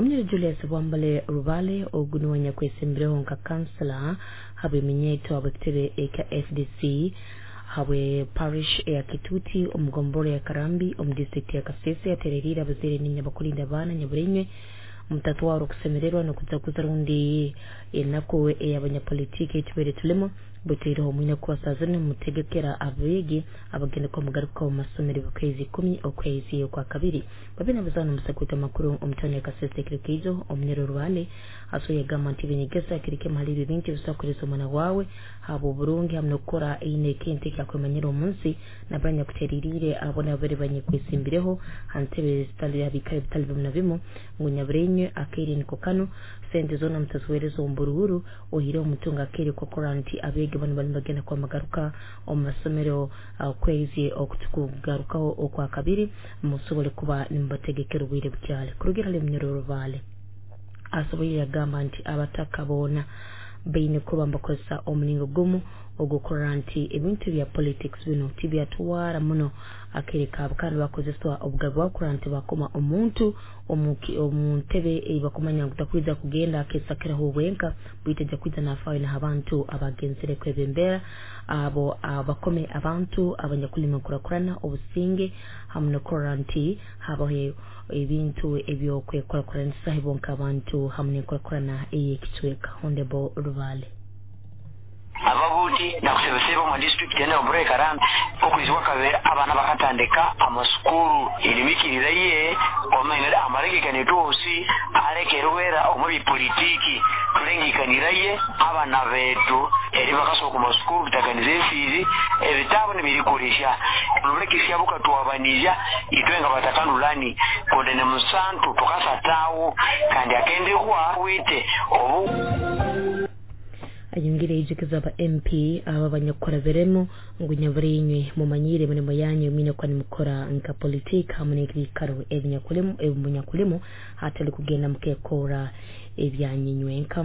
Omunyoro Julius Bwambale Rubale ogu niwe anyakwesimbireho nka kansela habw'eminyeeto habw'ekitebe ekya FDC habwe parish eya Kituti omu gombora ya Karambi omu district ya Kasese atereriire abazaire ninya abakulinda abaana nyaburenywe mutatwara okusemererwa n'okujaguza rundi enaku ey'abanyapolitiki etubaire tulimo butaireho mwine kukwasa zinu mutegekera abeegi abagenda kuba mugaruka omu masomero okwezi 10 okwezi okwa kabiri. Babiri nabazaana omusakwita amakuru omu tawuni ya Kasese ekiro keizo. Omunyoro Rubale aso yagamba nti ebinyegesa kiri kimu hali ebyo bintu ebisobola kukolesa omwana wawe haba oburungi hamu n'okukora eine ekintu ekyakwemanyira omu nsi. Nabanya kutereriire abo nabo bari banyekwesimbireho ha ntebe zitali habikara bitali bimu na bimu ngu nyaburenywe akaire niko kano sente zoona mutaziweereza omu buruhuru ohireho omutunga akaire kokora nti abeegi bano bali bagenda kuba bagaruka omu masomero okwezi okutukugarukaho okwa kabiri musobole kuba nimubategekera obwire bukyali. Kurugira hali Munyoro Rubale asoboire yagamba nti abataka boona baine kuba mbakozesa omulingo gumu ogw'okurora nti ebintu bya politics bino tibyatwara muno akaire kaabo kandi bakozeswa obugabe bwabo kurora nti bakoma omuntu omu ntebe ei bakumanya ngu takwija kugenda akesakiraho wenka baitu ajja kwija nafaayo n'abantu abagenzere kwebembera abo abakome abantu abanyakulima enkurakurana obusinge hamu n'okurora nti habaho ebintu ebyokwekurakuranisa bonka abantu hamu n'enkurakurana ey'ekicweka. Honorable Rubale. Ababuti nakusebeseba omu district ene obure Karambi okwezi kwakabiri abana bakatandika amasukuru elimikirira ye omainire amalengekane tuosi alekerwera omu bipolitiki tulengekanira ye abana betu eri bakasoka ku masukuru tutaganiza efizi ebitabo nibirikurisha nulekisya bukatwabanija itwe nga batakandulani konde ne musantu tukasatawo kandi akendekwa wite obu. Ayongere yijukiza aba MP aba abanyakukora biremu ngu nyaburenywe mumanyire emirimo yanyu mwine kuba nimukora nka politiki hamu n'ebikaro ebinyakulemu ebimunyakulemu hatali kugenda mukekora ebyanyinywenka.